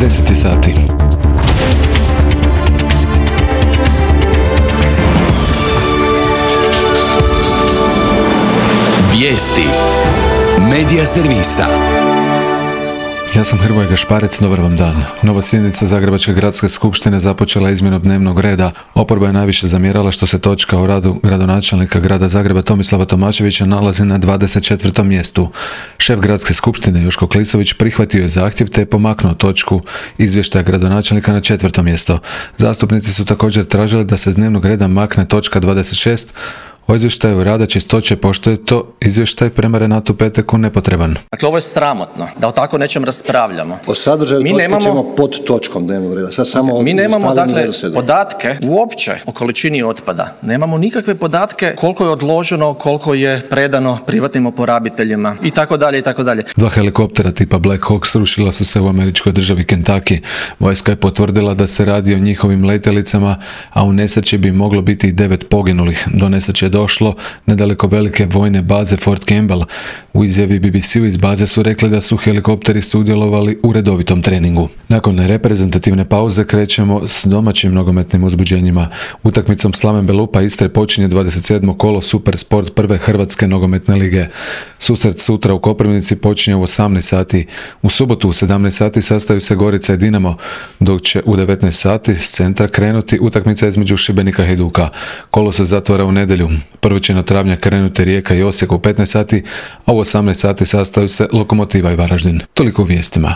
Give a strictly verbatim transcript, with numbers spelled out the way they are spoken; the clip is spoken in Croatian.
deset sati. Vijesti Medija servisa. Ja sam Hrvoje Gašparec, dobar vam dan. Nova sjednica Zagrebačke gradske skupštine započela izmjenom dnevnog reda. Oporba je najviše zamjerala što se točka o radu gradonačelnika grada Zagreba Tomislava Tomaševića nalazi na dvadeset četvrtom mjestu. Šef gradske skupštine Joško Klisović prihvatio je zahtjev te je pomaknuo točku izvještaja gradonačelnika na četvrto mjesto. Zastupnici su također tražili da se s dnevnog reda makne točka dvadeset šest o izvještaju rada čistoće, pošto je to izvještaj prema Renatu Peteku nepotreban. Dakle, ovo je sramotno, da o tako nečem raspravljamo. O sadržaju mi točke nemamo, ćemo pod točkom dnevnog reda. Sad samo okay, mi nemamo dakle podatke uopće o količini otpada. Nemamo nikakve podatke koliko je odloženo, koliko je predano privatnim oporabiteljima i tako dalje i tako dalje. Dva helikoptera tipa Black Hawk srušila su se u američkoj državi Kentucky. Vojska je potvrdila da se radi o njihovim letjelicama, a u nesreći bi moglo biti i devet poginulih. Do nesreće je došlo nedaleko velike vojne baze Fort Campbell. U izjavi B B C-u iz baze su rekli da su helikopteri sudjelovali u redovitom treningu. Nakon reprezentativne pauze krećemo s domaćim nogometnim uzbuđenjima. Utakmicom Slaven Belupa Istre počinje dvadeset sedmo kolo Super Sport prve Hrvatske nogometne lige. Susret sutra u Koprivnici počinje u osamnaest sati. U subotu u sedamnaest sati sastaju se Gorica i Dinamo, dok će u devetnaest sati s centra krenuti utakmica između Šibenika i Hajduka. Kolo se zatvara u nedjelju. Prvo će na travnja krenuti Rijeka i Osijek u petnaest sati, a u osamnaest sati sastaju se Lokomotiva i Varaždin. Toliko u vijestima.